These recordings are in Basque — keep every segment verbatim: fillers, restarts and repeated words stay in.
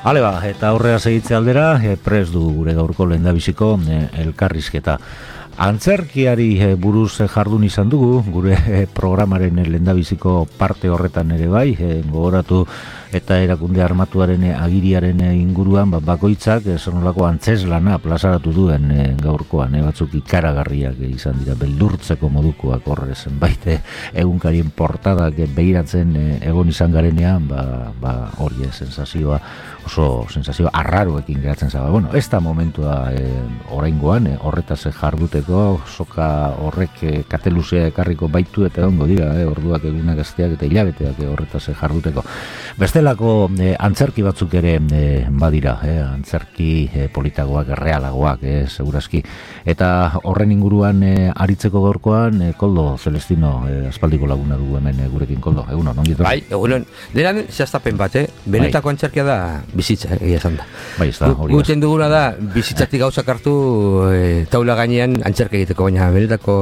Hale ba, eta aurrera segitze aldera, e, prest du gure gaurko lehendabiziko e, elkarrizketa. Antzerkiari e, buruz e, jardun izan dugu, gure e, programaren lehendabiziko parte horretan ere bai, e, gogoratu eta erakunde armatuaren e, agiriaren e, inguruan, ba, bakoitzak e, zonolako antzeslana plazaratu duen e, gaurkoan, e, batzuk ikaragarriak e, izan dira, beldurtzeko modukoak horre zenbait e, egunkarien portadak e, behiratzen e, egon izan garenean, ba, ba hori e, sensazioa, oso sensazio arraroekin geratzen zaba. Bueno, ez da momentua e, oraingoan, e, horretaz jarduteko, soka horrek e, kateluzea ekarriko baitu eta ongo dira, e, orduak egunak gazteak eta hilabeteak e, horretaz jarduteko. Bestelako e, antzerki batzuk ere e, badira, e, antzerki e, politagoak, realagoak, e, segurazki. Eta horren inguruan e, aritzeko gaurkoan, e, Koldo Celestino, e, aspaldiko laguna dugu hemen e, gurekin, Koldo, egunon, ongitu? Bai, egunon, denan zehaztapen bat, eh? Benetako bai. Antzerkia da bizitza, egia esan da. Bai, ez da, hori da. Guten duguna da, bizitzatik gauzak hartu e, taula gainean antzerkia egiteko, baina benetako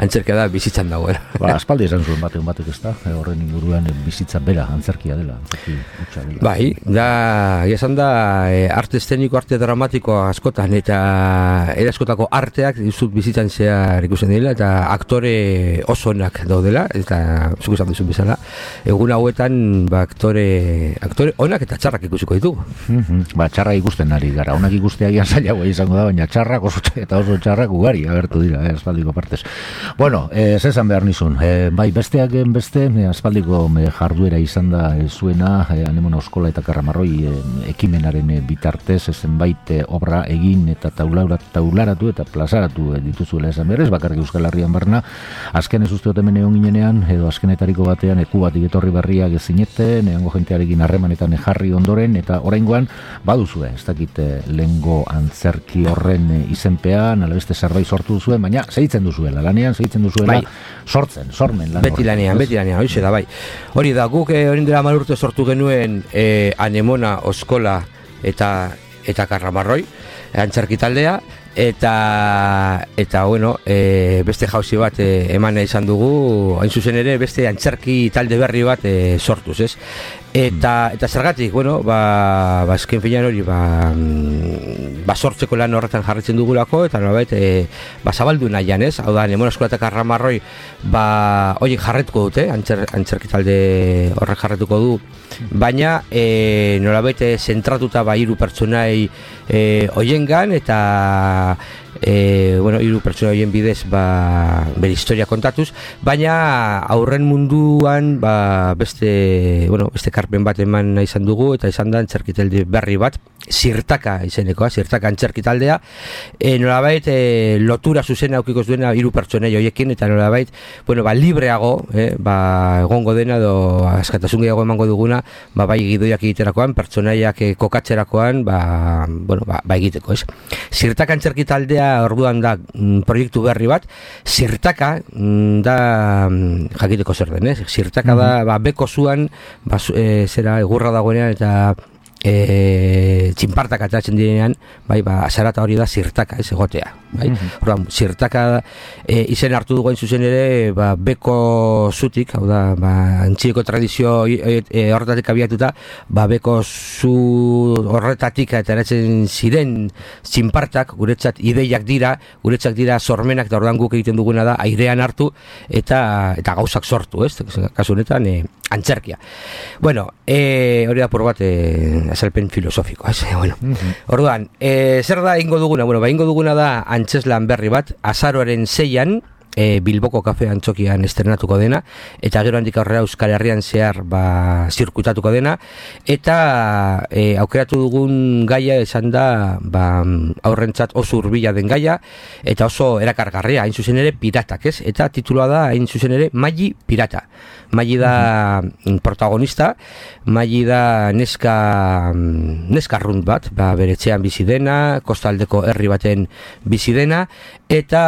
antzerkia da bizitzan dagoela. Ba, aspaldi esan zuen batean batek ez da, e, horren inguruan e, bizitza bera, antzerkia dela, antzerki utxa dela. Bai, da, egia esan da, e, arte eszeniko, arte dramatiko askotan, eta ere askotako arteak dizut bizitzan zehar ikusten dela, eta aktore oso onak daudela, eta zuk esan dizun bezala, egun hauetan, ba, aktore, aktore onak eta txarrak ikusiko ditugu. Mm-hmm. Ba, txarrak ikusten ari gara, onak ikusteagian zailagoa izango da, baina txarrak oso eta oso txarrak ugari agertu dira, eh, aspaldiko partez. Bueno, eh, zezan behar nizun, eh, bai, besteak beste, eh, aspaldiko eh, jarduera izan da eh, zuena, eh, Anemona Oskola eta Karramarroi eh, ekimenaren eh, bitartez, zenbait eh, obra egin eta taularatu eta plazaratu eh, dituzuela esan berez, bakarrik Euskal Herrian barna, azken ez uste hemen egon ginenean, edo azkenetariko batean eku batik etorri berriak ezineten, eango jentearekin harremanetan jarri ondoren, eta oraingoan baduzue, ez dakit lehengo antzerki horren izenpean, ala beste zerbait sortu duzuen, baina segitzen duzuela, lanean segitzen duzuela, bai. sortzen, sormen lan beti lanean, beti lanean, hori da, bai. Hori da, guk hori dela malurte sortu genuen eh, Anemona Oskola eta eta Karramarroi, antzerki taldea, eta eta bueno, e, beste jauzi bat e, eman izan dugu, hain zuzen ere beste antzerki talde berri bat e, sortuz, ez? Eta eta zergatik, bueno, ba ba azken finean hori ba ba sortzeko lan horretan jarritzen dugulako eta nolabait e, ba zabaldu nahian, ez? Hau da, Anemona Oskola eta Karramarroi ba hori jarretuko dute, antzer, antzerki talde horrek jarretuko du, baina e, nolabait zentratuta ba hiru pertsonai e, hoiengan eta E, bueno, hiru pertsona horien bidez ba, bere historia kontatuz, baina aurren munduan ba, beste, bueno, beste karpen bat eman izan dugu eta izan da antzerkitalde berri bat, Zirtaka izenekoa, Zirtaka antzerki taldea, e, nolabait e, lotura zuzena aukiko duena hiru pertsonei horiekin eta nolabait, bueno, ba, libreago, eh, ba, egongo dena edo askatasun gehiago emango duguna, ba, bai gidoiak egiterakoan, pertsonaiak e, kokatzerakoan, ba, bueno, ba, ba egiteko, ez? Zirtaka antzerki taldea orduan da mm, proiektu berri bat, Zirtaka mm, da mm, jakiteko zer den, ez? Zirtaka da, ba, beko zuan, ba, e, zera, egurra dagoenean eta e, txinpartak ateratzen direnean, bai, ba, zarata hori da Zirtaka, ez egotea, bai? Mm-hmm. Orduan, Zirtaka e, izen hartu dugu hain zuzen ere, ba, beko zutik, hau da, ba, antzineko tradizio e, e, horretatik abiatuta, ba, beko zu horretatik ateratzen ziren txinpartak, guretzat ideiak dira, guretzat dira sormenak, eta orduan guk egiten duguna da, airean hartu, eta eta gauzak sortu, ez? Kasu honetan, e, antzerkia. Bueno, e, hori da por bat, e, azalpen filosofiko, ez? Bueno, mm-hmm. Orduan, e, zer da ingo duguna? Bueno, ba, ingo duguna da antzeslan berri bat, azaroaren seian, e, Bilboko kafe antzokian estrenatuko dena, eta gero handik aurrera Euskal Herrian zehar ba, zirkuitatuko dena, eta e, aukeratu dugun gaia esan da ba, aurrentzat oso hurbila den gaia, eta oso erakargarria, hain zuzen ere piratak, ez? Eta titulua da, hain zuzen ere, Maili Pirata. Maili da protagonista, Maili da neska neska arrunt bat, ba, bere etxean bizi dena, kostaldeko herri baten bizi dena, eta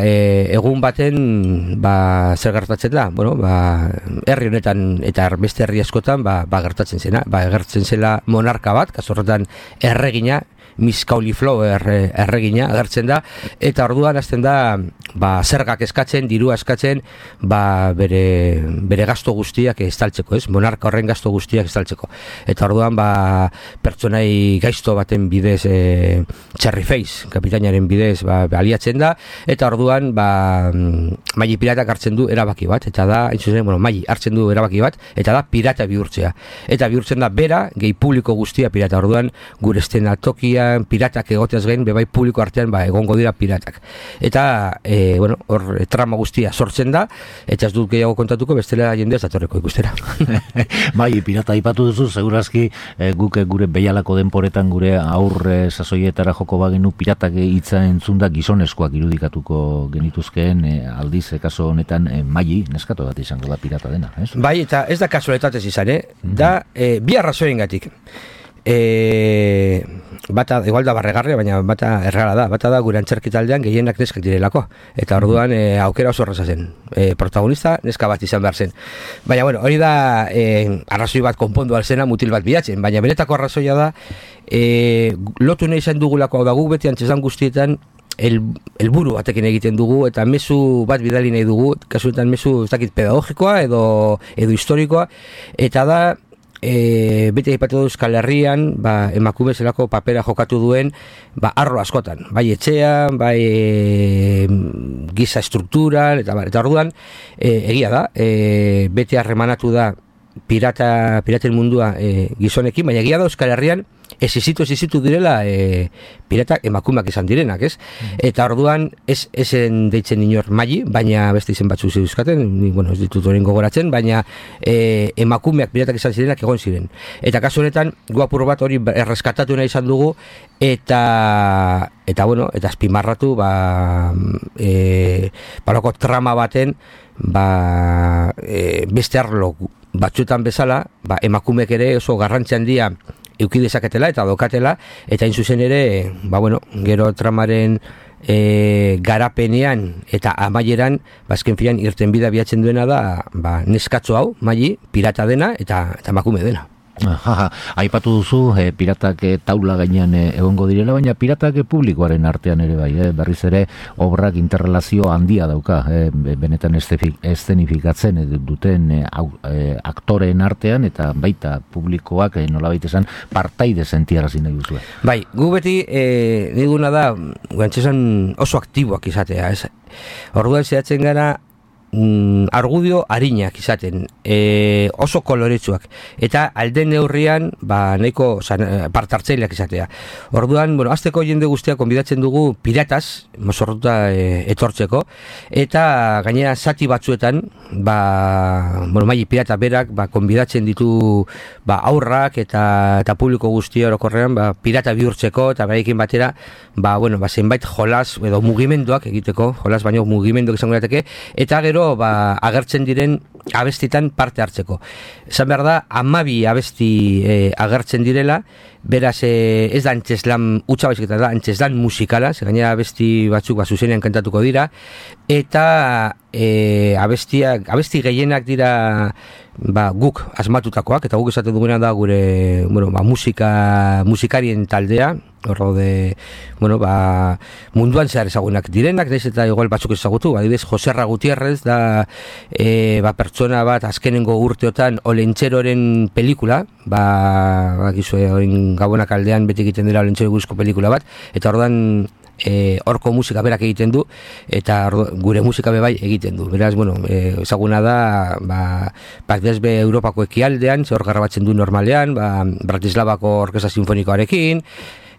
e, egun baten ba, zer gertatzen da, bueno, ba, herri honetan eta beste herri askotan ba, ba, gertatzen zena, ba, gertatzen zela monarka bat, kaso horretan erregina, Miss Cauliflower erregina agertzen da, eta orduan hasten da ba, zergak eskatzen, dirua eskatzen, ba, bere, bere gasto guztiak estaltzeko, ez? Monarka horren gasto guztiak estaltzeko. Eta orduan ba, pertsonai gaizto baten bidez e, Cherry Face, kapitainaren bidez ba, aliatzen da, eta orduan ba, Maggi piratak hartzen du erabaki bat, eta da, zuzen, bueno, Maggi hartzen du erabaki bat, eta da pirata bihurtzea. Eta bihurtzen da bera, gehi publiko guztia pirata. Orduan, gure eszenatokian piratak egoteaz gain, bebai publiko artean ba, egongo dira piratak. Eta, e, bueno, hor trama guztia sortzen da, eta ez dut gehiago kontatuko, bestela jendea ez datorreko ikustera. Bai, pirata aipatu duzu, segurazki e, guk gure behialako denporetan gure aurre sasoietara joko bagenu piratak hitza entzunda gizonezkoak irudikatuko genituzkeen e, aldiz, e, kaso honetan e, Maggi, neskato bat izango da pirata dena, ez? Bai, eta ez da kasualitatez izan, eh? Da, e, bi arrazoiengatik. E, bata, igual da barregarria, baina bata errara da, bata da gure antzerki taldean gehienak neskak direlako, eta orduan e, aukera oso horreza zen, e, protagonista neska bat izan behar zen, baina bueno, hori da e, arrazoi bat konpondu alzena mutil bat bilatzen, baina benetako arrazoia da e, lotu nahi izan dugulako, hau da guk beti antzesan guztietan el, elburu batekin egiten dugu, eta mezu bat bidali nahi dugu, kasuetan mezu ez dakit pedagogikoa edo, edo historikoa, eta da E, beti aipatu du Euskal Herrian ba, emakume zelako papera jokatu duen ba, arlo askotan, bai etxean, bai e, giza estrukturan, eta, eta orduan e, egia da, e, beti harremanatu da pirata, piraten mundua e, gizonekin, baina egia da Euskal Herrian esizitu, esizitu direla e, piratak emakumeak izan direnak, ez? Mm. Eta orduan ez esen deitzen inor Maggi, baina beste izen batzu zeuzkaten, bueno, ez ditut horien gogoratzen, baina e, emakumeak piratak izan zirenak egon ziren. Eta kasu honetan, guapur bat hori erreskatatu nahi izan dugu, eta eta bueno, eta azpimarratu ba, e, baloko trama baten ba, e, beste arlo batzuetan bezala, ba, emakumeek ere oso garrantzi handia euki dezaketela eta dokatela, eta hain zuzen ere, ba bueno, gero tramaren e, garapenean eta amaieran, bazken filan irten bida biatzen duena da, ba, neskatzo hau, Maggi, pirata dena eta, eta emakume dena. Jaja, aipatu duzu e, piratak e, taula gainean e, egongo direla, baina piratak e, publikoaren artean ere bai, e, berriz ere obrak interrelazio handia dauka, e, benetan eszenifikatzen e, duten e, au, e, aktoreen artean, eta baita publikoak e, nolabait esan partaide sentiarazi nahi duzue. Bai, gu beti e, niduna da, guantxesan oso aktiboak izatea, ez? Orduan zehatzen gara Mm, argudio arinak izaten, e, oso koloretsuak, eta alden neurrian ba, nahiko partartzaileak izatea. Orduan, bueno, azteko jende guztia konbidatzen dugu pirataz, mozorruta e, etortzeko, eta gainera zati batzuetan, ba, bueno, Maggi pirata berak, ba, konbidatzen ditu ba, aurrak eta, eta publiko guztia orokorrean, ba, pirata bihurtzeko, eta berekin batera, ba, bueno, ba, zenbait jolas edo mugimenduak egiteko, jolas baino mugimenduak izango dateke, eta gero ba, agertzen diren abestitan parte hartzeko. Esan behar da, amabi abesti e, agertzen direla, beraz e, ez da antzeslan utxa baizik eta da antzeslan musikala, ze gainera abesti batzuk ba, zuzenean kantatuko dira, eta e, abestiak, abesti gehienak dira ba, guk asmatutakoak, eta guk esaten duguna da gure bueno, ba, musika, musikarien taldea, horro de, bueno, ba, munduan zehar ezagunak direnak, naiz eta igual batzuk ezagutu, adibidez, Joserra Gutierrez da e, ba, pertsona bat azkenengo urteotan Olentxeroren pelikula, ba, ba gizue, orin Gabonak aldean beti egiten dira Olentxero guzko pelikula bat, eta ordan e, orko musika berak egiten du, eta ordo, gure musika bebai egiten du. Beraz, bueno, e, ezaguna da, ba, Pakdesbe Europako ekialdean, ze hor garrabatzen du normalean, ba, Bratislavako Orkesta Sinfonikoarekin,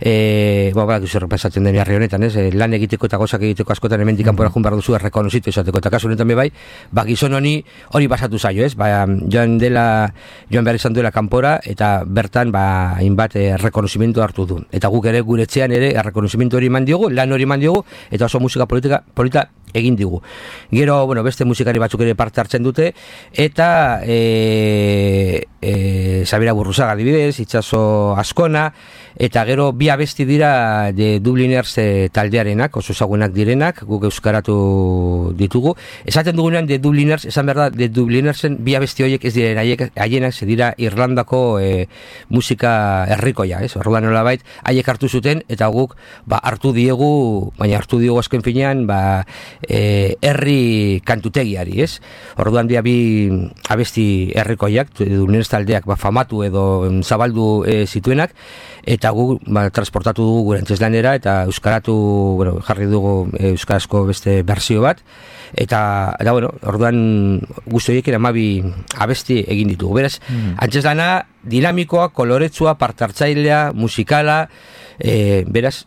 E, ba, ba, gizur pasatzen den herri honetan, ez? E, lan egiteko eta gozak egiteko askotan hemendik kanpora joan behar duzu errekonozitu izateko, eta kasu honetan bebai, ba, gizon honi hori basatu zaio, ez? Ba, joan dela, joan behar izan duela kanpora, eta bertan, ba, hainbat errekonozimentu hartu du. Eta guk ere gure etxean ere errekonozimentu hori eman diogu, lan hori eman diogu, eta oso musika politika, polita egin digu. Gero, bueno, beste musikari batzuk ere parte hartzen dute, eta e, e, Sabira Burruzaga adibidez, Itxaso Askona, eta gero bi abesti dira de Dubliners e, taldearenak, oso ezagunak direnak, guk euskaratu ditugu. Esaten dugunean de Dubliners, esan behar da, de Dublinersen bi abesti horiek ez diren haienak, ze dira Irlandako e, musika herrikoia, ez? Orduan nolabait, haiek hartu zuten, eta guk ba, hartu diegu, baina hartu diegu azken finean, ba, e, herri kantutegiari, ez? Orduan dira bi abesti herrikoiak, Dubliners taldeak ba, famatu edo zabaldu e, zituenak, eta gu ba, transportatu dugu gure antzeslanera eta euskaratu, bueno, jarri dugu e, euskarazko beste berzio bat, eta, eta bueno, orduan guzti horiek hamabi abesti egin ditugu. Beraz, mm. antzeslana dinamikoa, koloretsua, partartzailea, musikala, e, beraz,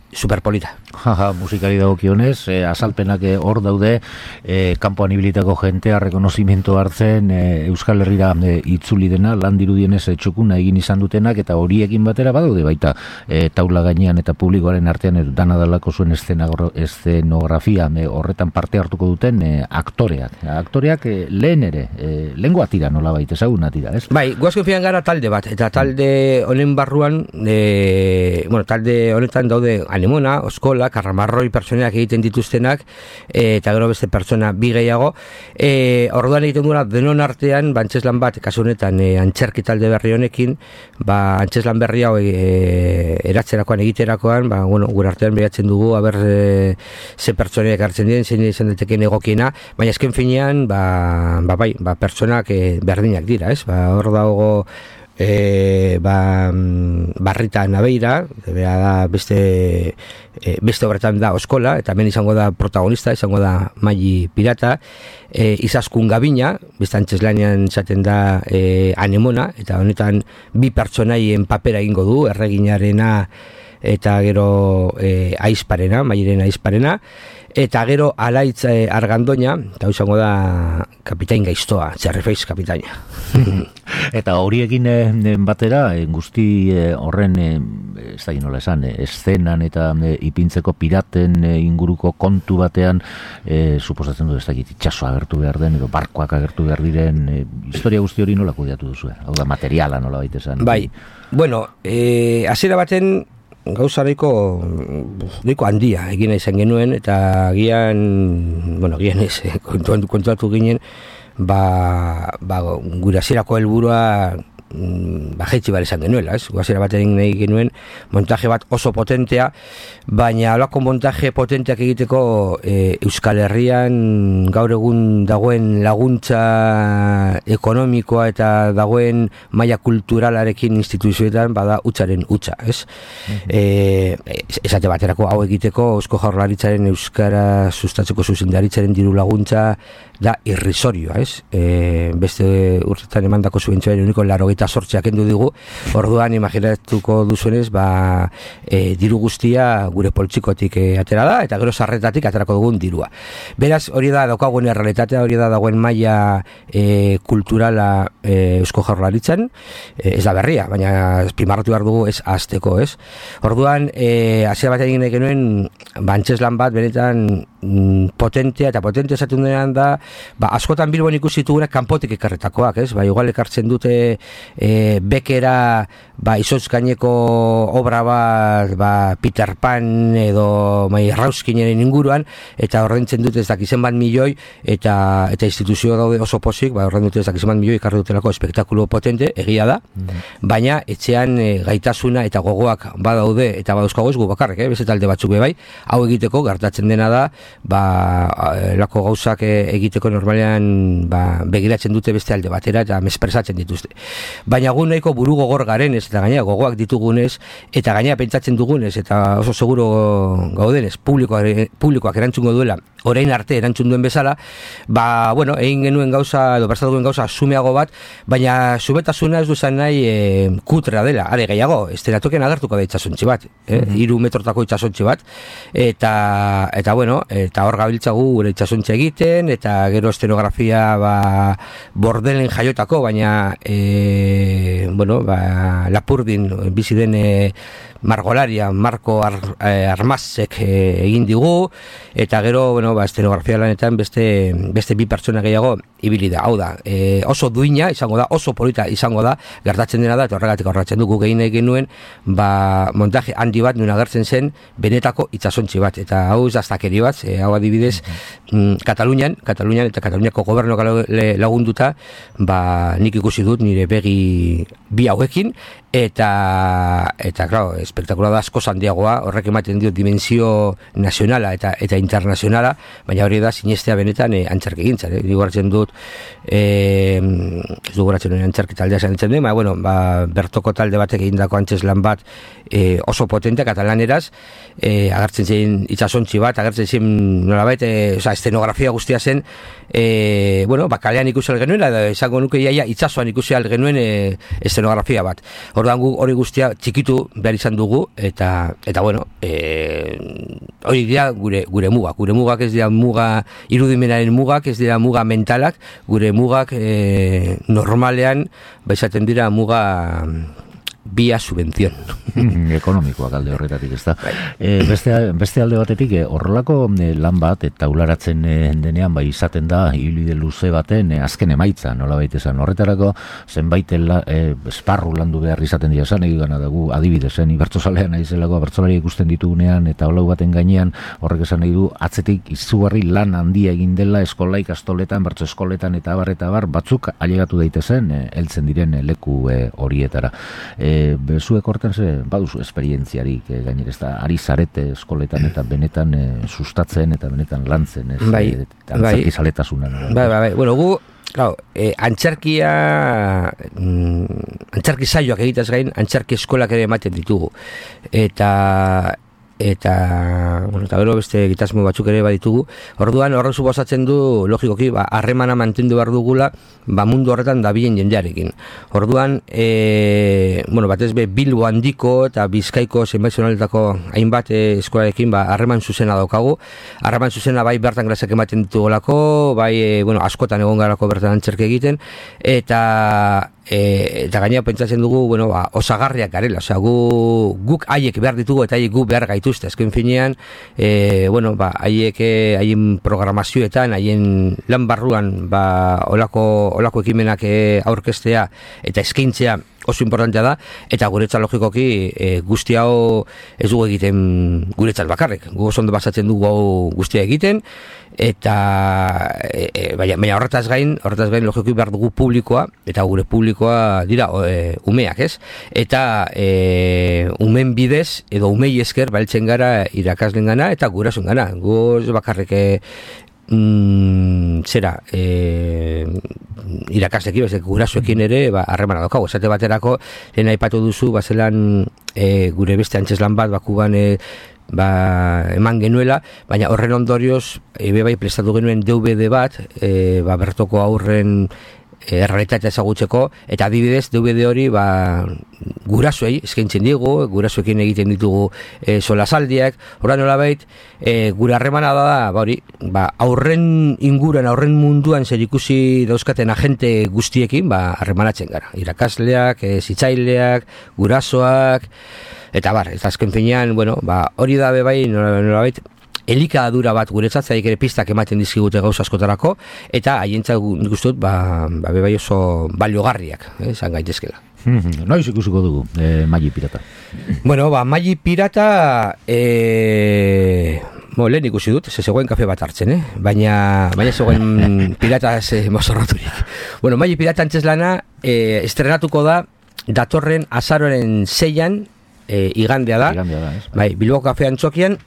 superpolita. Jaja, musikari dagokionez, eh, azalpenak hor daude, eh, kanpoan ibilitako jentea rekonozimento hartzen, eh, Euskal Herrira eh, itzuli dena, lan dirudienez eh, txukuna egin izan dutenak, eta horiekin batera badaude baita eh, taula gainean eta publikoaren artean eh, dana dalako zuen eszenografia eh, horretan parte hartuko duten eh, aktoreak. Aktoreak eh, lehen ere, eh, lehengoa tira nola baita, ezaguna tira, ez? Bai, guazko fian gara talde bat, eta talde honen barruan, eh, bueno, talde honetan daude Anemona, Oskola, Karramarroi pertsoneak egiten dituztenak, e, eta gero beste pertsona bi gehiago. E, orduan egiten duena denon artean, ba, antzeslan bat, kasu honetan, e, antxerki talde berri honekin, ba, antzeslan berri hau e, eratzerakoan, egiterakoan, ba, bueno, gure artean behatzen dugu, haber e, ze pertsoneak hartzen diren, zein izan daiteken egokiena, baina esken finean, ba, ba, bai, ba, pertsonak e, berdinak dira, ez? Ba, hor dago E, ba, Barrita Nabeira, da beste, e, beste horretan da Oskola, eta hemen izango da protagonista, izango da Maili Pirata, e, Izaskun Gabina, beste antzeslanean zaten da e, Anemona, eta honetan bi pertsonaien papera egingo du, erreginarena eta gero e, aizparena, Mailiren aizparena, eta gero Alaitz e, Argandoña, eta izango da Kapitain Gaiztoa, Txarrifeiz kapitaina. Eta horiekin e, batera, e, guzti e, horren, e, ez da ginola esan, e, eszenan eta e, ipintzeko piraten e, inguruko kontu batean, e, suposatzen du ez da itxasoa agertu behar den, edo barkoak agertu behar diren, e, historia guzti hori nola kudeatu duzu, hau da materiala nola baita esan. Bai, bueno, e, hasiera baten, gauza nahiko nahiko handia egin izan genuen, eta gian, bueno, gian ez, kontuatu ginen, ba, ba gure hasierako helburua ba, jaitsi bar izan genuela, ez? Hasiera batean nahi genuen montaje bat oso potentea, baina halako montaje potenteak egiteko e, Euskal Herrian gaur egun dagoen laguntza ekonomikoa eta dagoen maila kulturalarekin instituzioetan bada hutsaren hutsa, ez? Mm-hmm. E, esate baterako hau egiteko Eusko Jaurlaritzaren euskara sustatzeko zuzendaritzaren diru laguntza da irrisorioa, ez? E, beste urtetan emandako subentzioaren uniko laurogeita zortziak kendu digu, orduan imaginatuko duzuenez, ba, e, diru guztia gure poltsikotik e, atera da, eta gero sarretatik aterako dugun dirua. Beraz, hori da daukagun errealitatea, hori da dagoen maila e, kulturala e, Eusko Jaurlaritzan, e, ez da berria, baina primarratu behar dugu ez azteko, ez? Orduan, e, hasiera bat egin genuen, ba, antzeslan bat, benetan potentea, eta potentea esaten denean da, ba, askotan Bilbon ikusi ditugunak kanpotik ekarretakoak, ez? Ba, igual ekartzen dute e, bekera, ba, izotz gaineko obra bat, ba, Peter Pan edo mai Rauskineren inguruan, eta ordaintzen dute ez dakizen bat milioi, eta eta instituzio daude oso pozik, ba, ordaintzen dute ez dakizen bat milioi ekarri dutelako espektakulo potente, egia da, mm-hmm. baina etxean e, gaitasuna eta gogoak badaude, eta badauzkago ez gu bakarrik, eh? Beste talde batzuk bai, hau egiteko gertatzen dena da, ba, lako gauzak egiteko normalean ba, begiratzen dute beste alde batera eta mespresatzen dituzte. Baina gu nahiko buru gogor garenez eta gainera gogoak ditugunez eta gainera pentsatzen dugunez eta oso seguro gaudenez publikoak, publikoak erantzungo duela orain arte erantzun duen bezala, ba, bueno, egin genuen gauza, edo prestatu genuen gauza sumeago bat, baina subetasuna ez duzan nahi e, kutrea dela, are gehiago, estenatoken agertuko da itxasontzi bat, eh? Mm-hmm. Iru metrotako itxasontzi bat, eta, eta bueno, eta hor gabiltzagu gure itxasontzi egiten, eta gero estenografia ba, bordelen jaiotako, baina e, bueno, ba, Lapurdin bizi den e, margolaria Marko Ar, eh, Armazek eh, egin digu, eta gero, bueno, ba, estenografia lanetan beste, beste bi pertsona gehiago ibili da. Hau da, eh, oso duina izango da, oso polita izango da, gertatzen dena da, eta horregatik horretzen dugu gehin egin nuen, ba, montaje handi bat nuen agertzen zen benetako itsasontzi bat, eta hau ez daztakeri bat, e, hau adibidez, mm, Katalunian, Katalunian eta Kataluniako gobernuak lagunduta, ba, nik ikusi dut nire begi bi hauekin, eta, eta, claro, espektakula da asko handiagoa, horrek ematen dio dimensio nazionala eta eta internazionala, baina hori da sinestea benetan e, antzerki gintzan, eh? Digo hartzen dut, e, ez dugu hartzen dut antzerki taldea zanitzen dut, baina, bueno, ba, bertoko talde batek egindako antzeslan bat e, oso potente katalaneraz, e, agertzen zen itsasontzi bat, agertzen zen nolabait, e, oza, estenografia guztia zen, e, bueno, bakalean ikusi algenuen, edo esango nuke iaia itsasoan ikusi algenuen e, estenografia bat. Orduan gu hori guztia txikitu behar izan dugu, eta, eta bueno, e, hori dira gure, gure mugak. Gure mugak ez dira muga, irudimenaren mugak, ez dira muga mentalak, gure mugak e, normalean, baizaten dira muga via subvención. Ekonomikoak alde horretatik, ez da. E, beste, beste alde batetik, horrelako e, lan bat, eta taularatzen e, denean, bai izaten da, ibilbide luze baten, e, azken emaitza, nola baita esan. Horretarako, zenbait la, e, esparru landu behar izaten dira esan, egin gana dugu, adibidezen, ibertzozalean aizelako, bertzolari ikusten ditugunean, eta holau baten gainean, horrek esan nahi du, atzetik izugarri lan handia egin dela, eskola ikastoletan, bertzo eskoletan, eta abar, eta abar, batzuk ailegatu daitezen, e, heltzen diren e, leku e, horietara. E, bezuek hortan ze baduzu esperientziarik e, gainera ez da ari zarete eskoletan eta benetan e, sustatzen eta benetan lantzen ez bai, e, antzerki zaletasuna bai, bai, bai, bueno, gu claro, eh, antzerkia mm, antzerki saioak egitaz gain antzerki eskolak ere ematen ditugu eta eta bueno, eta gero beste egitasmo batzuk ere baditugu. Orduan horrek suposatzen du logikoki ba harremana mantendu behar dugula ba mundu horretan dabilen jendearekin. Orduan e, bueno, batez be Bilbo handiko eta Bizkaiko zenbait zonaletako hainbat e, eskolarekin ba harreman zuzena daukagu. Harreman zuzena bai bertan klaseak ematen ditugolako, bai e, bueno, askotan egon garako bertan antzerki egiten eta E, eta gainera pentsatzen dugu, bueno, ba, osagarriak garela, osea, gu, guk haiek behar ditugu eta haiek gu behar gaituzte, azken finean, e, bueno, ba, haiek haien programazioetan, haien lan barruan, ba, olako, olako ekimenak e, aurkeztea eta eskaintzea oso importantea da, eta guretzat logikoki e, guzti hau ez dugu egiten guretzat bakarrik, gu oso ondo basatzen dugu hau guztia egiten, eta e, e, baina, baina horretaz gain, horretaz gain logikoki behar dugu publikoa, eta gure publikoa dira e, umeak, ez? Eta e, umen bidez, edo umei esker bailtzen gara irakaslen gana, eta gurasun gana, gu bakarrik e, Mm, zera e, irakaslekin, bezek gurasoekin ere ba, harremana daukagu, esate baterako lehen aipatu duzu, bazelan e, gure beste antzeslan bat bakuban e, ba, eman genuela, baina horren ondorioz e, bai prestatu genuen D V D bat e, ba, bertoko aurren errealitatea ezagutzeko, eta adibidez D V D hori ba, gurasoei eskaintzen digu, gurasoekin egiten ditugu e, solasaldiak, horra nolabait e, gure harremana da, ba, hori, ba, aurren inguruan, aurren munduan zer ikusi dauzkaten agente guztiekin ba, harremanatzen gara, irakasleak, e, zitzaileak, gurasoak, eta bar, eta azken finean, bueno, ba, hori da bai nolabait, elikadura bat guretzat, zaik ere pistak ematen dizkigute gauza askotarako, eta haientzat guztut, ba, ba bai oso baliogarriak, eh, esan gaitezkela. Noiz ikusiko dugu, eh, Magi Pirata? Bueno, ba, Magi Pirata, eh, bo, lehen ikusi dut, ze zegoen kafe bat hartzen, eh? baina, baina zegoen pirata ze mozorraturik. Bueno, Magi Pirata antzeslana, eh, estrenatuko da, datorren azaroren seian, eh, igandea da, igandea da, ez? Bai, Bilbo kafean txokian,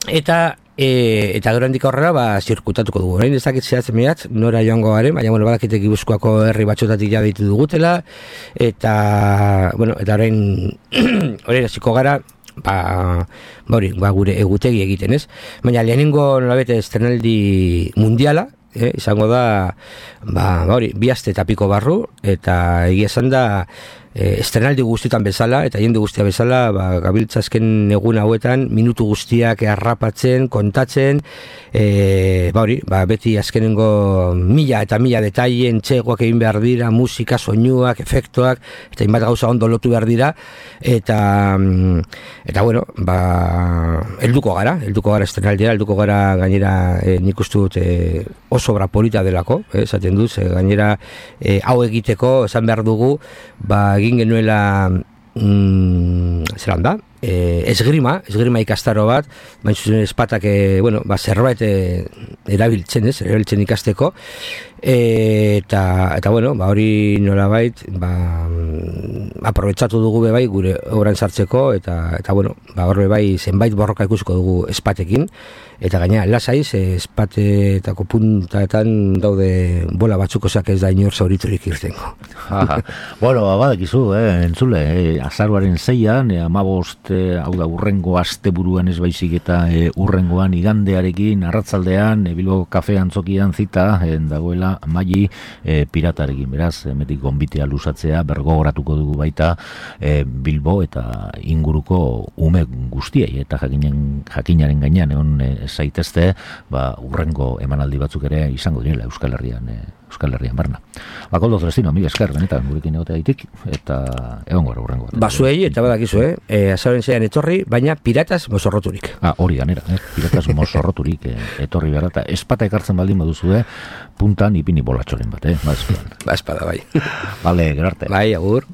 eta e, eta gero handik aurrera ba zirkutatuko dugu. Orain ez dakit zehatzen mirat nora joango garen, baina bueno, badakite Gipuzkoako herri batzuetatik ja ditu dugutela eta bueno, eta orain orain hasiko gara ba, ba hori, ba gure egutegi egiten, ez? Baina lehenengo nolabete estrenaldi mundiala, eh, izango da ba, ba hori, bi aste eta piko barru eta egia esan da e, estrenaldi guztietan bezala, eta jende guztia bezala, ba, gabiltza azken egun hauetan, minutu guztiak harrapatzen, kontatzen, e, ba hori, ba, beti azkenengo mila eta mila detaien, txegoak egin behar dira, musika, soinuak, efektuak, eta inbat gauza ondo lotu behar dira, eta, eta bueno, ba, helduko gara, helduko gara estrenaldiera, helduko gara gainera, e, nik uste dut, e, oso obra polita delako, eh, esaten duz, e, gainera, e, hau egiteko, esan behar dugu, ba, egin genuela mm, zelan da e, esgrima, esgrima ikastaro bat baina zuzen espatak e, bueno, ba, zerbait e, erabiltzen ez, erabiltzen ikasteko e, eta, eta bueno, ba, hori nolabait ba, aprobetsatu dugu bebai gure obran sartzeko eta, eta bueno, ba, hor bebai zenbait borroka ikusiko dugu espatekin eta gaina lasaiz espatetako puntaetan daude bola batzuk osak ez da inor zauriturik irtengo. Bueno, badakizu, eh, entzule, eh, azaruaren zeian, eh, amabost, eh, hau da, urrengo asteburuan ez baizik eta eh, urrengoan igandearekin, arratzaldean, eh, Bilbo kafe antzokian zita, eh, dagoela maili eh, piratarekin, beraz, emetik gonbitea lusatzea, bergogoratuko dugu baita eh, Bilbo eta inguruko ume guztiei, eta jakinen, jakinaren gainean, egon eh, zaitezte, ba, urrengo emanaldi batzuk ere izango direla Euskal Herrian, eh, Euskal Herrian barna. Ba, Koldo Celestino, mila esker, benetan, gurekin egotea ditik, eta egon gara urrengo. Basuei, eta badakizu, eh? E, azaren zeian etorri, baina piratas mozorroturik. Ah, hori ganera, eh? Piratas mozorroturik eh, etorri behar, eta espata ekartzen baldin baduzu, eh? Puntan ipini bolatxoren bat, eh? Ba, espada. Ba, espada, bai. Vale, gerarte. Bai, agur.